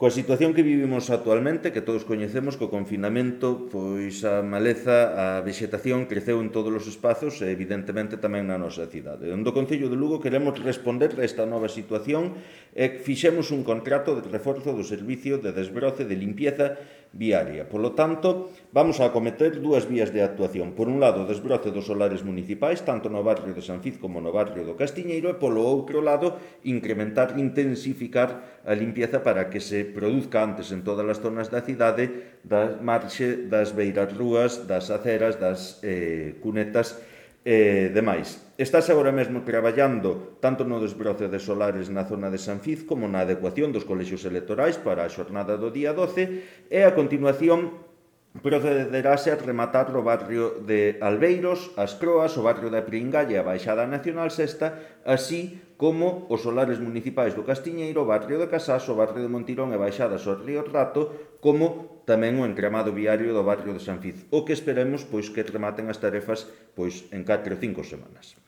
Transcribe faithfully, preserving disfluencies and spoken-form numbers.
Coa situación que vivimos actualmente, que todos coñecemos, co confinamento, pois a maleza, a vexetación creceu en todos os espazos e evidentemente tamén na nosa cidade. Onde o Concello de Lugo queremos responder a esta nova situación e fixemos un contrato de reforzo do servicio de desbroce de limpieza viaria. Polo tanto, vamos a acometer dúas vías de actuación. Por un lado, o desbroce dos solares municipais, tanto no barrio de San Fiz como no barrio do Castiñeiro, e polo outro lado, incrementar, intensificar a limpieza para que se produzca antes en todas as zonas da cidade, da marxe das beirarrúas, das aceras, das eh, cunetas e demais. Estás agora mesmo traballando tanto no desbroce de solares na zona de San Fiz como na adecuación dos colexios electorais para a xornada do día doce e a continuación procederase a rematar o barrio de Albeiros, as Croas, o barrio da Pringalla e a Baixada Nacional Sexta, así como os solares municipais do Castiñeiro, o barrio de Casás, o barrio de Montirón e baixadas ao río Rato, como tamén o encramado viario do barrio de San Fiz, o que esperemos pois que rematen as tarefas pois en catro ou cinco semanas.